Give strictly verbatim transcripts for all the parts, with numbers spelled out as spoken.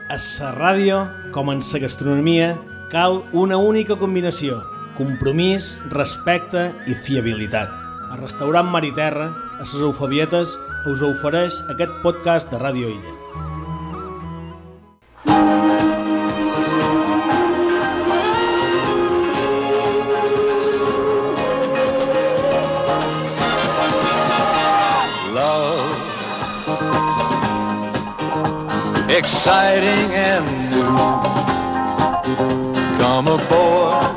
A la ràdio, com en la gastronomia, cal una única combinació: compromís, respecte i fiabilitat. El restaurant Mar i Terra, a les Eufabietes, us ofereix aquest podcast de Ràdio Illa. Exciting and new. Come aboard.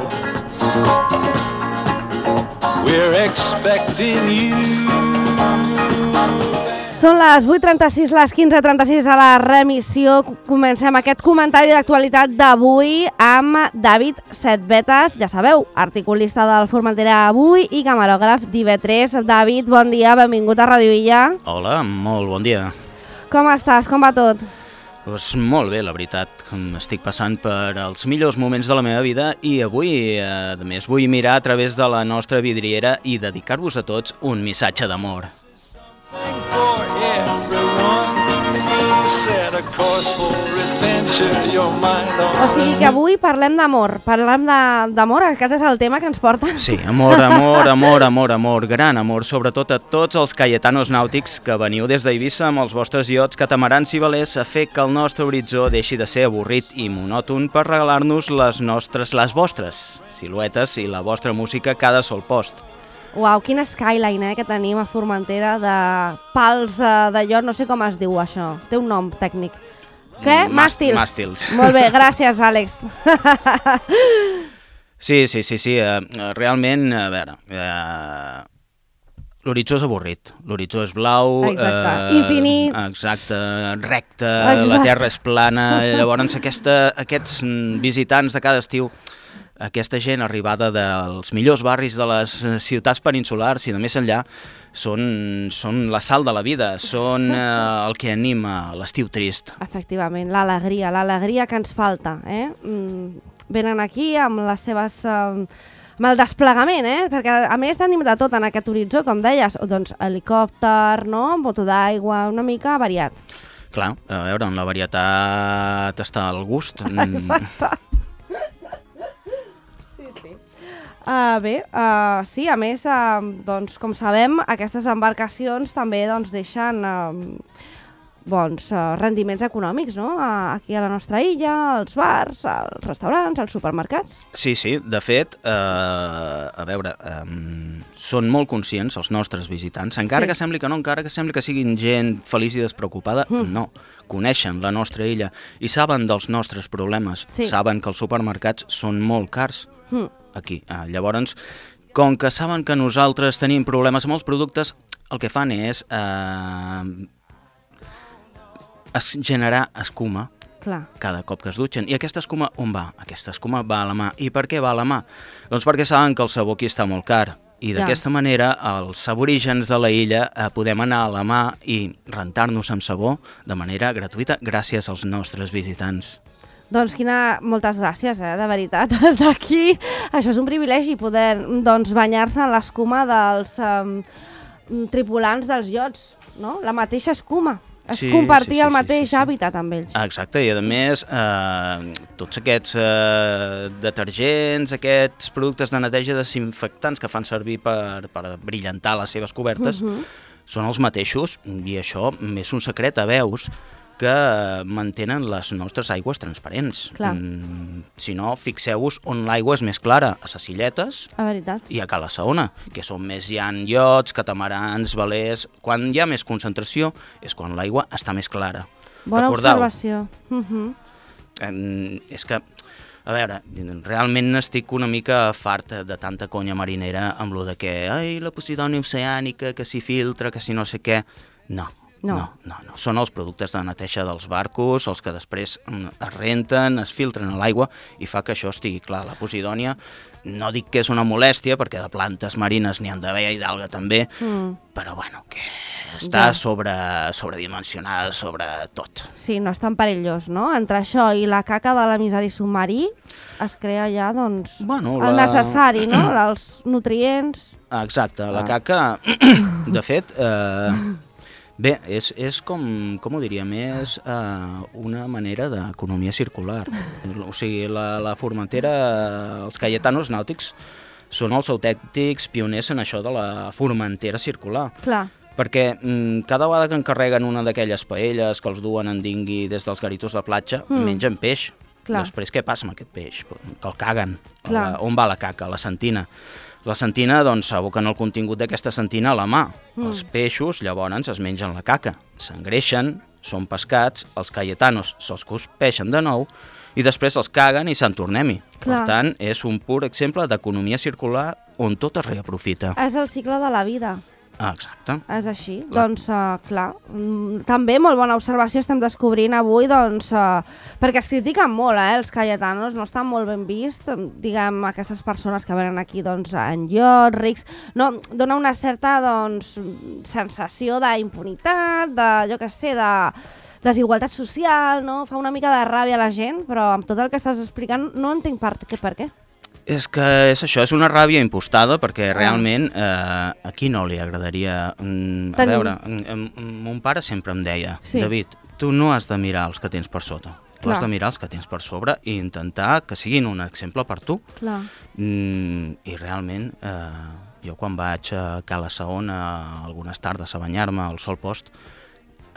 We're expecting you. Són les vuit trenta-sis, les quinze trenta-sis a la remissió. Comencem aquest comentari d'actualitat d'avui amb David Setbetes, ja sabeu, articulista del Formentera Avui i camarògraf d'I V tres. David, bon dia, benvingut a Ràdio Illa. Hola, molt bon dia. Com estàs? Com va tot? Pues molt bé, la veritat. Estic passant per els millors moments de la meva vida i avui, a més, vull mirar a través de la nostra vidriera i dedicar-vos a tots un missatge d'amor. O sigui que avui parlem d'amor, parlem d'amor, aquest és el tema que ens porta. Sí, amor, amor, amor, amor, amor, gran amor, sobretot a tots els cayetanos nàutics que veniu des d'Eivissa amb els vostres iots catamarans i velers a fer que el nostre horitzó deixi de ser avorrit i monòton per regalar-nos les nostres, les vostres siluetes i la vostra música a cada sol post. Uau, quina skyline eh, que tenim a Formentera de pals eh, de llot, no sé com es diu això, té un nom tècnic. Què? Màstils. Màstils. Molt bé, gràcies, Àlex. Sí, sí, sí, sí, uh, realment, a veure, uh, l'horitzó és avorrit, l'horitzó és blau, exacte. Uh, infinit, exacte, recte, exacte. La terra és plana, llavors aquesta, aquests visitants de cada estiu, aquesta gent arribada dels millors barris de les ciutats peninsulars i de més enllà, són, són la sal de la vida, són eh, el que anima l'estiu trist. Efectivament, l'alegria, l'alegria que ens falta. Eh? Mm, venen aquí amb les seves... Eh, amb el desplegament, eh? Perquè a més tenim de tot en aquest horitzó, com deies, doncs helicòpter, no? Moto d'aigua, una mica variat. Clar, a veure, en la varietat està al gust. Exacte. Uh, bé, uh, sí, a més, uh, doncs, com sabem, aquestes embarcacions també doncs, deixen uh, bons uh, rendiments econòmics, no? Uh, aquí a la nostra illa, als bars, als restaurants, als supermercats. Sí, sí, de fet, uh, a veure, um, són molt conscients els nostres visitants, encara sí. que sembli que no, encara que sembli que siguin gent feliç i despreocupada, mm. no. Coneixen la nostra illa i saben dels nostres problemes, sí. saben que els supermercats són molt cars. Mm. Aquí. Ah, llavors, com que saben que nosaltres tenim problemes amb els productes, el que fan és eh, es generar escuma Clar. cada cop que es dutxen. I aquesta escuma on va? Aquesta escuma va a la mà. I per què va a la mà? Doncs perquè saben que el sabó aquí està molt car. I d'aquesta ja. manera, els aborígens de la illa eh, podem anar a la mà i rentar-nos amb sabó de manera gratuïta gràcies als nostres visitants. Doncs quina... moltes gràcies, eh, de veritat, des d'aquí. Això és un privilegi, poder doncs, banyar-se en l'escuma dels um, tripulants dels iots, no? La mateixa escuma. És sí, compartir sí, sí, el mateix sí, sí, sí. hàbitat amb ells. Exacte, i a més, eh, tots aquests eh, detergents, aquests productes de neteja desinfectants que fan servir per, per brillantar les seves cobertes, uh-huh. són els mateixos, i això és un secret a veus, que mantenen les nostres aigües transparents. Mm, si no, fixeu-vos on l'aigua és més clara, a les illetes i a Cala Saona, que són més hi ha iots, catamarans, velers. Quan hi ha més concentració és quan l'aigua està més clara. Bona Recordeu? observació. Uh-huh. eh, és que, a veure, realment estic una mica fart de tanta conya marinera amb lo de que, ai, la Posidònia oceànica, que s'hi filtra, que si no sé què. No. No. no, no, no. Són els productes de neteja dels barcos, els que després es renten, es filtren a l'aigua i fa que això estigui clar. La Posidònia, no dic que és una molèstia, perquè de plantes marines n'hi han d'haver i d'alga també, mm. però bueno, que està ja. sobre, sobredimensionada sobre tot. Sí, no és tan perillós, no? Entre això i la caca de l'emissari submarí es crea ja, doncs, bueno, el la... necessari, no? Els nutrients... Exacte, la ah. caca, de fet... Eh... Bé, és, és com, com ho diríem, és uh, una manera d'economia circular. O sigui, la, la Formentera, els Cayetanos nàutics, són els autèntics pioners en això de la Formentera circular. Clar. Perquè mm, cada vegada que encarreguen una d'aquelles paelles que els duen en dingui des dels garitos de platja, mm. mengen peix. Clar. Després què passa amb aquest peix? Que el caguen. Clar. On va la caca? La sentina. La sentina, doncs, aboquen el contingut d'aquesta sentina a la mà. Mm. Els peixos, llavors, es mengen la caca, s'engreixen, són pescats, els cayetanos se'ls cospeixen de nou i després els caguen i se'n tornem-hi. Per tant, és un pur exemple d'economia circular on tot es reaprofita. És el cicle de la vida. Ah, exacte. És així. Clar. Doncs, uh, clar, mm, també molt bona observació estem descobrint avui, doncs, uh, perquè es critiquen molt, eh, els cayetanos, no estan molt ben vist, diguem, aquestes persones que venen aquí, doncs, en llocs, rics, no, dona una certa, doncs, sensació d'impunitat, de, jo què sé, de desigualtat social, no? Fa una mica de ràbia a la gent, però amb tot el que estàs explicant no entenc per què. Per què? És que és això, és una ràbia impostada, perquè realment eh, a qui no li agradaria... Mm, a veure, mm, mon pare sempre em deia, sí. David, tu no has de mirar els que tens per sota, tu Clar. has de mirar els que tens per sobre i intentar que siguin un exemple per tu. Clar. Mm, I realment, eh, jo quan vaig a Cala Saona algunes tardes a banyar-me al sol post,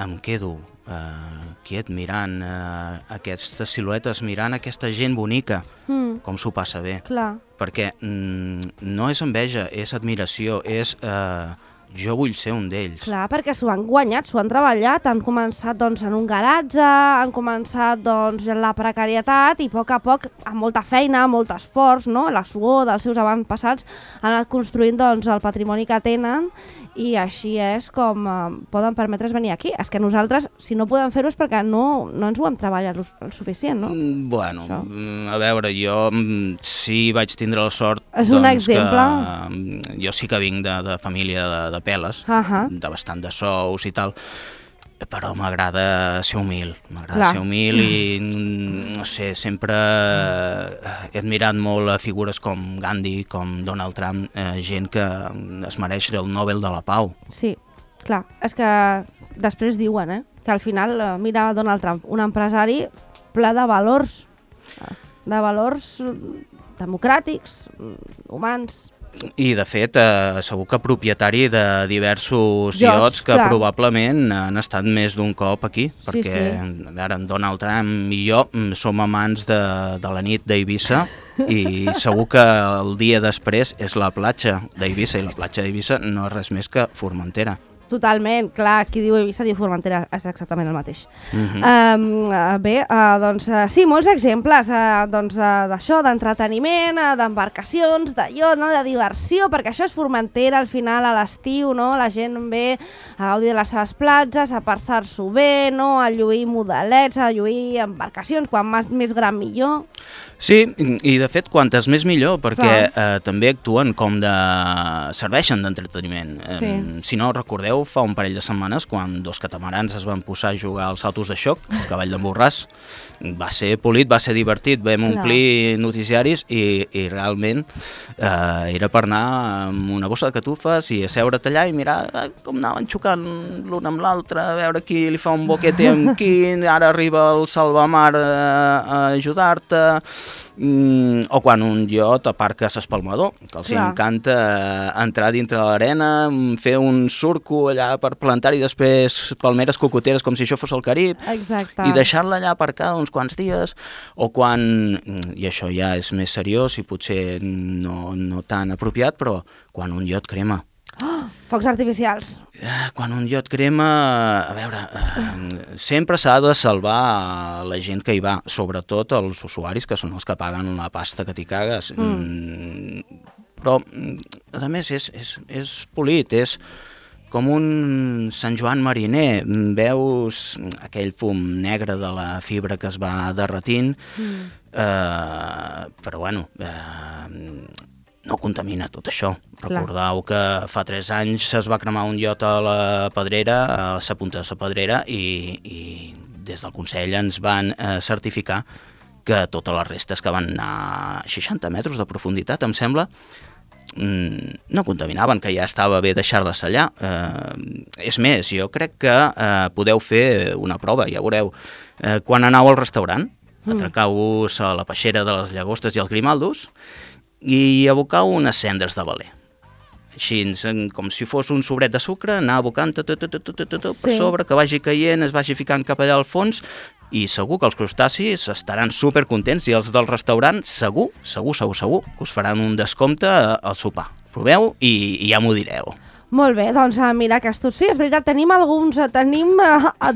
em quedo eh, quiet mirant eh, aquestes siluetes, mirant aquesta gent bonica, mm. com s'ho passa bé. Clar. Perquè mm, no és enveja, és admiració, és eh, jo vull ser un d'ells. Clar, perquè s'ho han guanyat, s'ho han treballat, han començat doncs, en un garatge, han començat doncs, en la precarietat i a poc a poc, amb molta feina, molt esforç, no? La suor dels seus avantpassats, han anat construint doncs, el patrimoni que tenen i així és com eh, poden permetre's venir aquí. És que nosaltres, si no podem fer-ho és perquè no, no ens ho hem treballat el suficient, no? Bueno, Això. a veure, jo sí vaig tindre la sort és un doncs, exemple. que jo sí que vinc de, de família de, de peles, uh -huh. de bastant de sous i tal, però m'agrada ser humil, m'agrada ser humil i, no sé, sempre he admirat molt a figures com Gandhi, com Donald Trump, eh, gent que es mereix el Nobel de la Pau. Sí, clar, és que després diuen, eh, que al final, mira Donald Trump, un empresari ple de valors, de valors democràtics, humans. I, de fet, eh, segur que propietari de diversos Jocs, iots que clar. probablement han estat més d'un cop aquí, perquè sí. a veure, en Donald Trump i jo som amants de, de la nit d'Eivissa i segur que el dia després és la platja d'Eivissa i la platja d'Eivissa no és res més que Formentera. Totalment, clar, qui diu Eivissa diu Formentera, és exactament el mateix. Uh-huh. uh, bé, uh, doncs uh, sí, molts exemples uh, doncs, uh, d'això, d'entreteniment, uh, d'embarcacions, d'allò, no? De diversió, perquè això és Formentera al final a l'estiu, no? La gent ve a gaudir de les seves platges, a passar-s'ho bé, no? A lluir modelets, a lluir embarcacions, quan més, més gran millor. Sí, i de fet quantes més millor, perquè eh, també actuen com de... serveixen d'entreteniment. Sí. Eh, si no recordeu, fa un parell de setmanes, quan dos catamarans es van posar a jugar als saltos de xoc, el cavall d'en Borràs, va ser polit, va ser divertit, vam omplir noticiaris i, i realment eh, era per anar amb una bossa de catufes i asseure't allà i mirar com anaven xocant l'un amb l'altre, a veure qui li fa un boquete amb qui, ara arriba el salvamar a, a ajudar-te, mm, o quan un iot aparca a s'espalmador, que els Clar. encanta entrar dintre de l'arena, fer un surco allà per plantar-hi després palmeres cocoteres com si això fos el Carib. Exacte. I deixar-la allà aparcada uns quants dies, o quan, i això ja és més seriós i potser no, no tan apropiat, però quan un iot crema. Oh, focs artificials. Quan un iot crema, a veure, eh, sempre s'ha de salvar la gent que hi va, sobretot els usuaris, que són els que paguen la pasta que t'hi cagues. Mm. Però, a més, és, és, és polit, és com un Sant Joan mariner. Veus aquell fum negre de la fibra que es va derretint, mm. eh, però, bueno... Eh, no contamina tot això. Clar. Recordeu que fa tres anys es va cremar un iot a la Pedrera, a la punta de la Pedrera, i, i des del Consell ens van eh, certificar que totes les restes que van anar a seixanta metres de profunditat, em sembla, no contaminaven, que ja estava bé deixar-les allà. Eh, és més, jo crec que eh, podeu fer una prova, ja veureu. Eh, quan aneu al restaurant, mm. atracau-vos a la peixera de les llagostes i els grimaldos i abocau unes cendres de veler. Així, com si fos un sobret de sucre, anar abocant tot, tot, tot, tot, tot, per sobre, que vagi caient, es vagi ficant cap allà al fons, i segur que els crustacis estaran supercontents, i els del restaurant segur, segur, segur, segur, que us faran un descompte al sopar. Proveu i, i ja m'ho direu. Molt bé, doncs mira, aquests sí, és veritat, tenim alguns, tenim,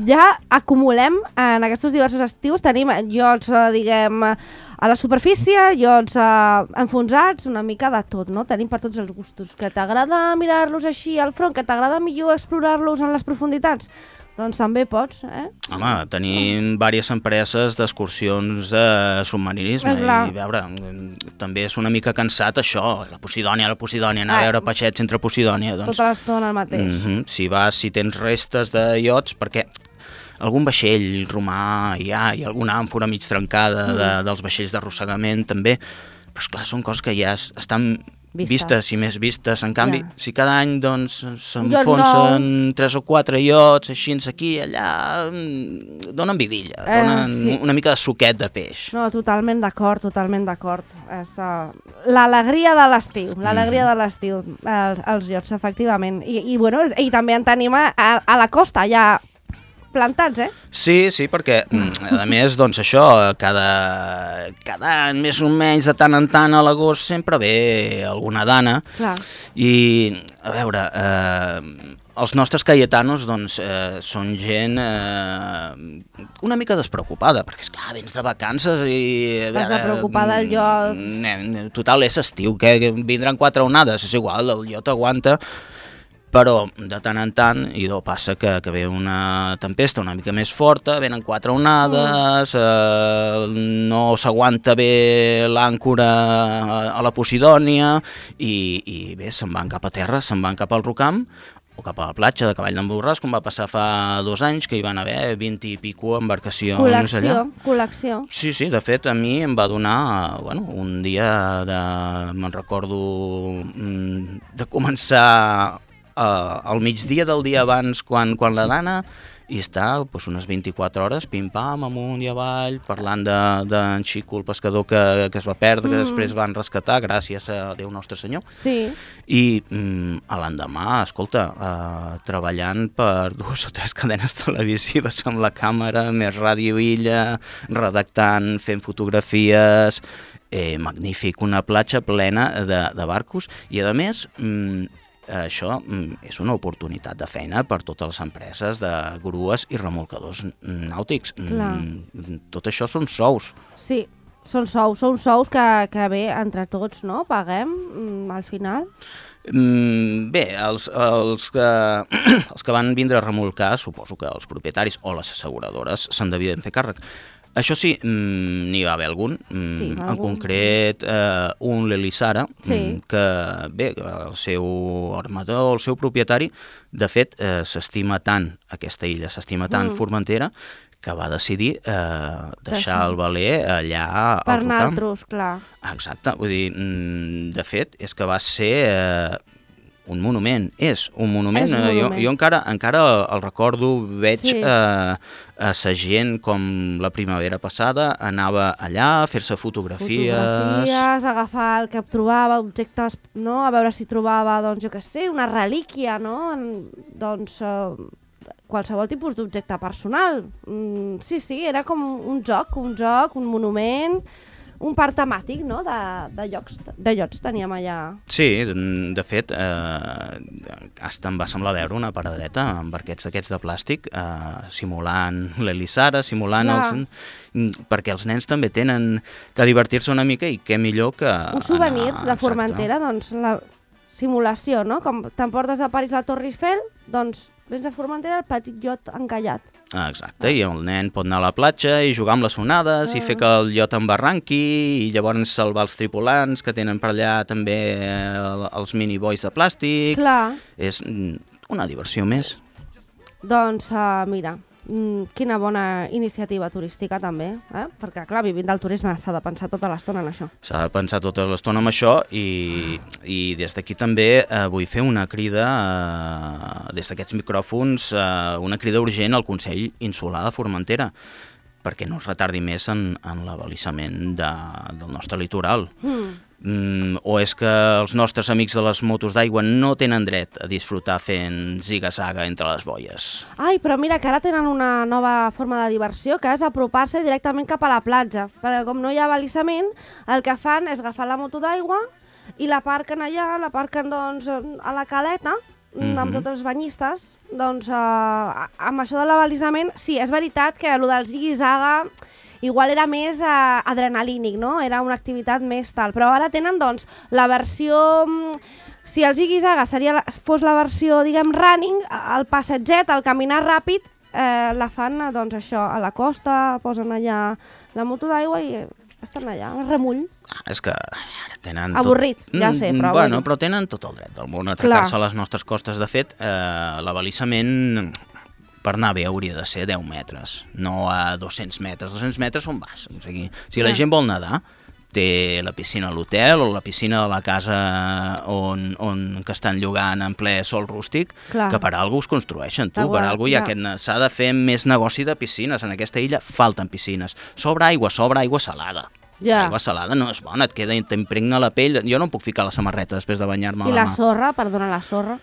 ja acumulem en aquests diversos estius, tenim llocs, diguem, a la superfície, llocs enfonsats, una mica de tot, no? Tenim per tots els gustos. Que t'agrada mirar-los així al front, que t'agrada millor explorar-los en les profunditats, doncs també pots, eh? Home, tenim diverses empreses d'excursions de submarinisme i, a veure, també és una mica cansat això, la Posidònia, la Posidònia, anar a veure peixets entre Posidònia, doncs... Tota l'estona el mateix. Mm-hmm, si vas, si tens restes de iots, perquè algun vaixell romà hi ha, i alguna àmfora mig trencada de, dels vaixells d'arrossegament també, però esclar, són coses que ja estan... Vistes. vistes i més vistes, en canvi, ja. Si cada any doncs s'enfonsen no. tres o quatre iots, així aquí, allà, donen vidilla, eh, donen sí. una mica de suquet de peix. No, totalment d'acord, totalment d'acord. És uh, l'alegria de l'estiu, l'alegria mm. de l'estiu, els, els iots, efectivament. I, i, bueno, i també en tenim a, a la costa, ja plantats, eh? Sí, sí, perquè, a més, doncs això, cada, cada any, més o menys, de tant en tant, a l'agost, sempre ve alguna dana. Clar. I, a veure, eh, els nostres cayetanos, doncs, eh, són gent eh, una mica despreocupada, perquè, esclar, vens de vacances i... Vas de preocupada el lloc... Eh, total, és estiu, que vindran quatre onades, és igual, el lloc aguanta... Però de tant en tant, i do passa que, que ve una tempesta una mica més forta, venen quatre onades, mm. eh, no s'aguanta bé l'àncora a la Posidònia, i, i bé, se'n van cap a terra, se'n van cap al Rocam, o cap a la platja de Cavall d'en Borràs, com va passar fa dos anys, que hi van haver vint i pico embarcacions col·lecció, allà. Col·lecció, Sí, sí, de fet, a mi em va donar, bueno, un dia de, me'n recordo, de començar Uh, al migdia del dia abans, quan, quan la dana, i està pues, unes vint-i-quatre hores, pim-pam, amunt i avall, parlant d'en de, de Xico, el pescador que, que es va perdre, mm. que després van rescatar, gràcies a Déu Nostre Senyor. Sí. I mm, a l'endemà, escolta, uh, treballant per dues o tres cadenes televisives amb la càmera, més Ràdio Illa, redactant, fent fotografies, eh, magnífic, una platja plena de, de barcos, i a més... Mm, això és una oportunitat de feina per totes les empreses de grues i remolcadors nàutics. Clar. Tot això són sous. Sí, són sous, són sous que, que bé, entre tots, no? Paguem al final. Mm, bé, els, els, que, els que van vindre a remolcar, suposo que els propietaris o les asseguradores se'n devien fer càrrec. Això sí, n'hi va haver algun, sí, en algun. concret eh, un l'Elisara, sí. que bé, el seu armador, el seu propietari, de fet, eh, s'estima tant aquesta illa, s'estima tant mm. Formentera, que va decidir eh, deixar el veler allà al per Rocam. nosaltres, clar. Exacte, vull dir, de fet, és que va ser... Eh, un monument, és un monument, és un monument. Jo, jo encara, encara el recordo, veig sí. eh, a sa gent com la primavera passada anava allà a fer-se fotografies... Fotografies, agafar el que trobava, objectes, no? A veure si trobava, doncs jo què sé, una relíquia, no? Doncs eh, qualsevol tipus d'objecte personal. Mm, sí, sí, era com un joc, un joc, un monument... un parc temàtic, no?, de, de, llocs, de llocs teníem allà. Sí, de fet, eh, hasta em va semblar veure una paradeta amb barquets d'aquests de plàstic, eh, simulant l'Elisara, simulant ja. els... perquè els nens també tenen que divertir-se una mica i què millor que... Un souvenir anar, de Formentera, doncs la simulació, no? Com t'emportes de París la Torre Eiffel, doncs vens a Formentera el petit iot encallat. Ah, exacte, i el nen pot anar a la platja i jugar amb les onades ah. i fer que el iot embarranqui i llavors salvar els tripulants que tenen per allà també els minibois de plàstic. Clar. És una diversió més. Doncs uh, mira, mm, quina bona iniciativa turística també, eh? Perquè clar, vivint del turisme s'ha de pensar tota l'estona en això. S'ha de pensar tota l'estona en això i, i des d'aquí també eh, vull fer una crida, eh, des d'aquests micròfons, eh, una crida urgent al Consell Insular de Formentera, perquè no es retardi més en, en l'abalisament de, del nostre litoral. Mm. Mm, o és que els nostres amics de les motos d'aigua no tenen dret a disfrutar fent ziga-zaga entre les boies. Ai, però mira que ara tenen una nova forma de diversió, que és apropar-se directament cap a la platja, perquè com no hi ha abalisament, el que fan és agafar la moto d'aigua i la parquen allà, la parquen doncs, a la caleta, mm-hmm. amb tots els banyistes. Doncs eh, amb això de l'abalisament, sí, és veritat que el del ziga-zaga igual era més eh, adrenalínic, no? Era una activitat més tal. Però ara tenen, doncs, la versió... Si el ziga-zaga seria la, fos la versió, diguem, running, el passetget, el caminar ràpid, eh, la fan, doncs, això, a la costa, posen allà la moto d'aigua i estan allà, al remull. Ah, és que ara tenen... Avorrit, tot... ja sé, però... Bueno, però tenen tot el dret del món a atracar-se a les nostres costes. De fet, eh, l'abalisament... per anar bé hauria de ser deu metres, no a dos-cents metres. dos-cents metres on vas? O sigui, si la gent vol nedar, té la piscina a l'hotel o la piscina de la casa on, on que estan llogant en ple sol rústic, clar. Que per alguna cosa es construeixen, tu, per alguna cosa hi ha aquest... S'ha de fer més negoci de piscines. En aquesta illa falten piscines. Sobra aigua, sobra aigua salada. Ja. L'aigua salada no és bona, et queda, t'impregna la pell. Jo no em puc ficar la samarreta després de banyar-me a la mà. I la sorra, perdona, la sorra?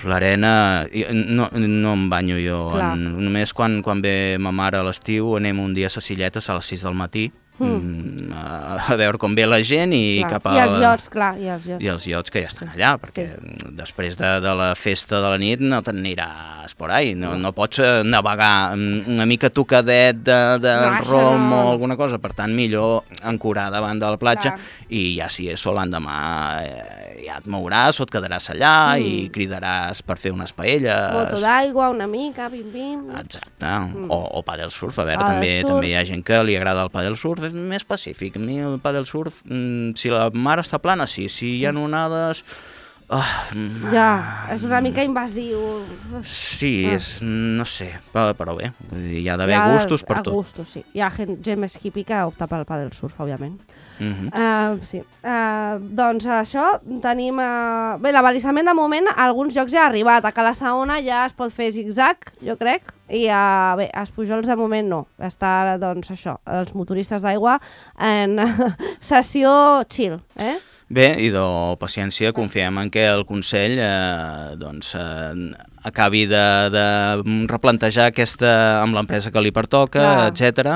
L'arena, no, no em banyo jo, en, només quan, quan ve ma mare a l'estiu anem un dia a les Silletes a les sis del matí mm. a, a veure com ve la gent i clar. cap a... I els iots, clar, i els iots. I els iots que ja estan allà, perquè sí. Després de, de la festa de la nit no t'aniràs por ahí, no, no pots navegar una mica tocadet de, de no, rom no. O alguna cosa, per tant millor ancorar davant de la platja clar. I ja si és sol l'endemà eh, ja et mouràs o et quedaràs allà mm. I cridaràs per fer unes paelles. Moto d'aigua, una mica, bim-bim. Exacte, mm. o, o padel surf, a veure, també, també hi ha gent que li agrada el padel surf, és més pacífic. A mi el padel surf, mm, si la mar està plana, sí, si hi ha onades... Oh, ja, és una mica invasiu. Sí, ah. és, no sé, però, però bé, hi ha d'haver gustos per tot. Gustos, sí. Hi ha gent, gent més hippie que opta pel padel surf, òbviament. Uh-huh. Uh, sí. uh, doncs això, tenim... Uh, bé, l'abalisament de moment a alguns llocs ja ha arribat. A Cala Saona ja es pot fer zig-zag, jo crec, i a, bé, a Espujols de moment no. Està, doncs, això, els motoristes d'aigua en sessió chill, eh? Bé, i de paciència confiem en que el Consell eh, doncs, eh, acabi de, de replantejar aquesta amb l'empresa que li pertoca, etcètera.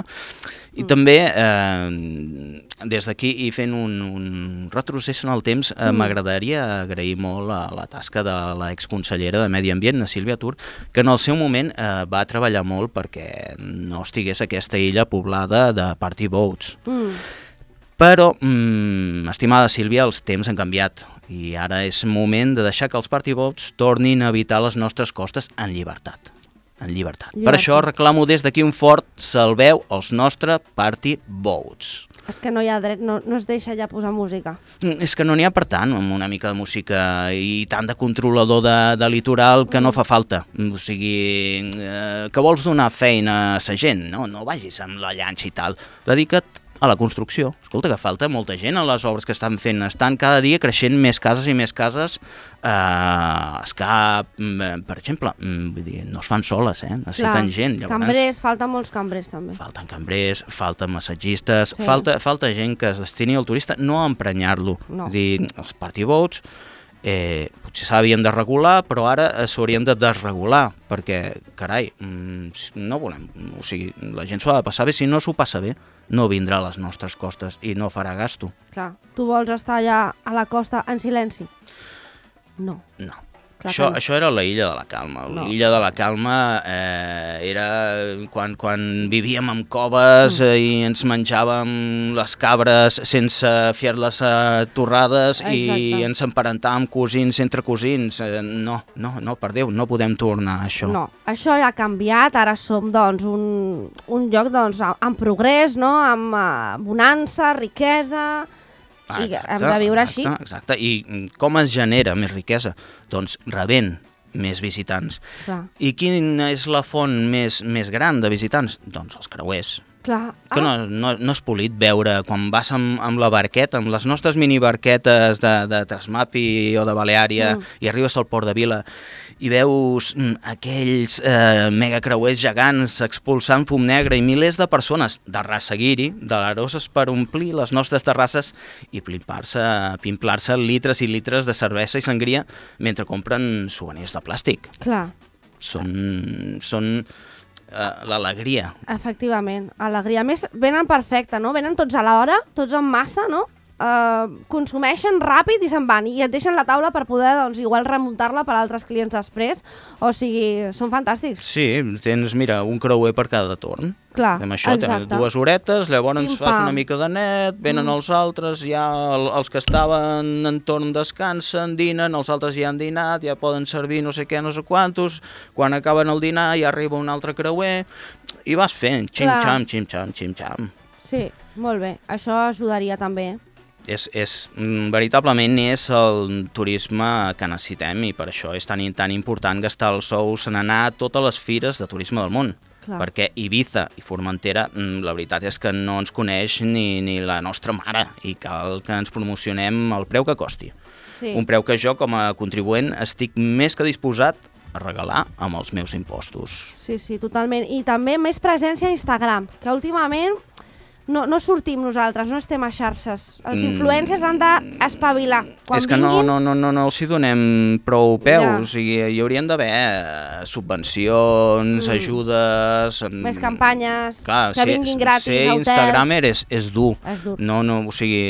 I mm. també, eh, des d'aquí i fent un, un retrocés en el temps, eh, mm. m'agradaria agrair molt a la tasca de l'exconsellera de Medi Ambient, la Sílvia Tur, que en el seu moment eh, va treballar molt perquè no estigués aquesta illa poblada de party boats. Mm. Però, mm, estimada Sílvia, els temps han canviat i ara és moment de deixar que els party boats tornin a habitar les nostres costes en llibertat. En llibertat. llibertat. Per això reclamo des d'aquí un fort salveu els nostres party boats. És que no hi ha dret, no, no es deixa ja posar música. És que no n'hi ha per tant, amb una mica de música i tant de controlador de, de litoral que no fa falta. O sigui, eh, que vols donar feina a sa gent, no? No vagis amb la llanxa i tal. Dedica't a la construcció. Escolta, que falta molta gent a les obres que estan fent. Estan cada dia creixent més cases i més cases. Eh, es que, per exemple, vull dir, no es fan soles, eh? Necessiten Clar, gent. Llavors, cambrers, falten molts cambrers també. Falten cambrers, falten massatgistes, sí. falta, falta gent que es destini al turista, no a emprenyar-lo. No. És dir, els party boats eh, potser s'havien de regular, però ara s'haurien de desregular, perquè, carai, no volem, o sigui, la gent s'ho ha de passar bé, si no s'ho passa bé, no vindrà a les nostres costes i no farà gasto. Clar, tu vols estar allà a la costa en silenci? No. No. Això, això era la Illa de la Calma. No. L'Illa de la Calma eh, era quan, quan vivíem en coves mm. i ens menjàvem les cabres sense fer-les eh, torrades. Exacte. I ens emparentàvem cosins entre cosins. Eh, no, no, no, per Déu, no podem tornar a això. No, això ja ha canviat, ara som doncs, un, un lloc doncs, en progrés, no? Amb uh, bonança, riquesa... I exacte, hem de viure exacte, així. Exacte, i com es genera més riquesa? Doncs rebent més visitants. Clar. I quina és la font més, més gran de visitants? Doncs els creuers. Clar. Que no, no, no és polit veure quan vas amb, amb la barqueta, amb les nostres mini barquetes de, de Trasmapi o de Baleària, mm. i arribes al Port de Vila i veus mm, aquells eh, megacreuers gegants expulsant fum negre i milers de persones de raça guiri, de l'aroses per omplir les nostres terrasses i pimplar-se pimplar-se litres i litres de cervesa i sangria mentre compren souvenirs de plàstic. Clar. Són... són Uh, l'alegria. Efectivament, alegria. A més, venen perfecte, no? Venen tots a l'hora, tots en massa, no? Uh, consumeixen ràpid i se'n van, i et deixen la taula per poder, doncs, igual remuntar-la per a altres clients després. O sigui, són fantàstics. Sí, tens, mira, un creuer per cada torn. Clar, Amb això exacte. tens dues horetes, llavors Pim, fas pam. una mica de net, venen Mm. els altres, ja el, els que estaven en torn descansen, dinen, els altres ja han dinat, ja poden servir no sé què, no sé quantos, quan acaben el dinar ja arriba un altre creuer, i vas fent xim-xam, xim-xam, xim-xam. Sí, molt bé. Això ajudaria també. És, és, mm, veritablement és el turisme que necessitem i per això és tan, tan important gastar els sous en anar a totes les fires de turisme del món. Clar. Perquè Ibiza i Formentera, mm, la veritat és que no ens coneix ni, ni la nostra mare i cal que ens promocionem al preu que costi. Sí. Un preu que jo com a contribuent estic més que disposat a regalar amb els meus impostos. Sí, sí, totalment. I també més presència a Instagram, que últimament no, no sortim nosaltres, no estem a xarxes. Els influencers han d'espavilar. Quan és que vinguin... no, no, no, no, no els hi donem prou peus, Ja. i hi haurien d'haver subvencions, Mm. ajudes... Més campanyes, Clar, que vinguin gratis ser a hotels. instagramer és, és dur. És dur. No, no, o sigui...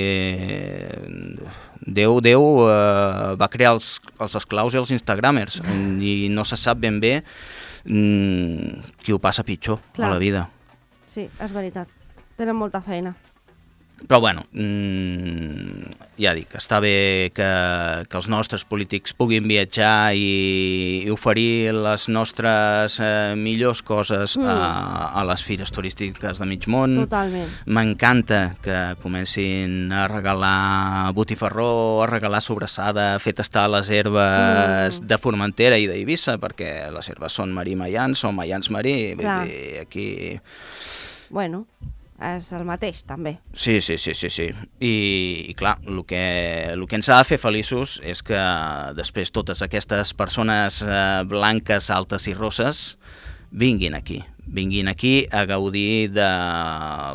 Déu, Déu eh, va crear els, els esclaus i els instagramers i no se sap ben bé mm, qui ho passa pitjor Clar. a la vida. Sí, és veritat. Tenen molta feina. Però bueno, mmm, ja dic, està bé que, que els nostres polítics puguin viatjar i, i oferir les nostres eh, millors coses Mm. a, a les fires turístiques de mig món. Totalment. M'encanta que comencin a regalar botifarró, a regalar sobrassada, a fer tastar les herbes Mm. de Formentera i d'Eivissa, perquè les herbes són marí-maians, són maians-marí, vull Clar. dir, aquí... Bueno, és el mateix, també. Sí, sí, sí, sí, sí. I, i clar, el que, el que ens ha de fer feliços és que després totes aquestes persones eh, blanques, altes i rosses vinguin aquí, vinguin aquí a gaudir de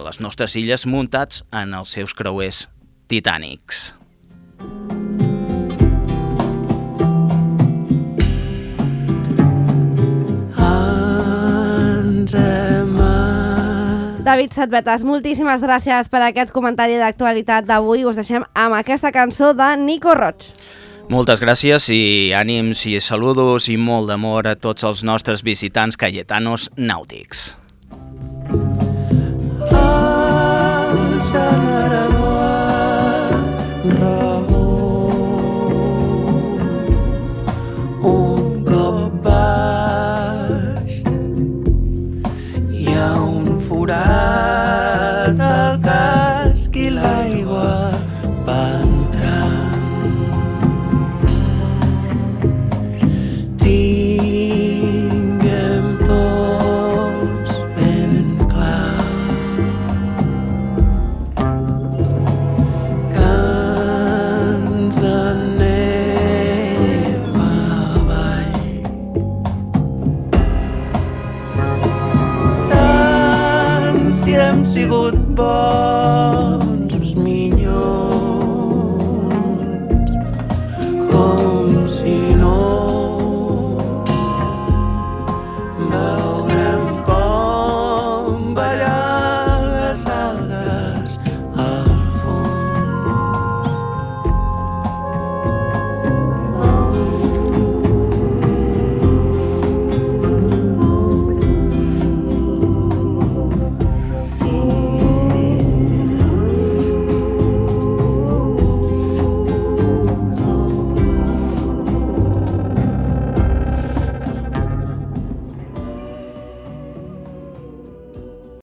les nostres illes muntats en els seus creuers titànics. David Setbetes, moltíssimes gràcies per aquest comentari d'actualitat d'avui. Us deixem amb aquesta cançó de Nico Roig. Moltes gràcies i ànims i saludos i molt d'amor a tots els nostres visitants cayetanos nàutics. Un cop baix hi ha un forat al casc i l'aigua va entrant. Tinguem tots ben clar que ens anem avall. Tant si hem sigut bons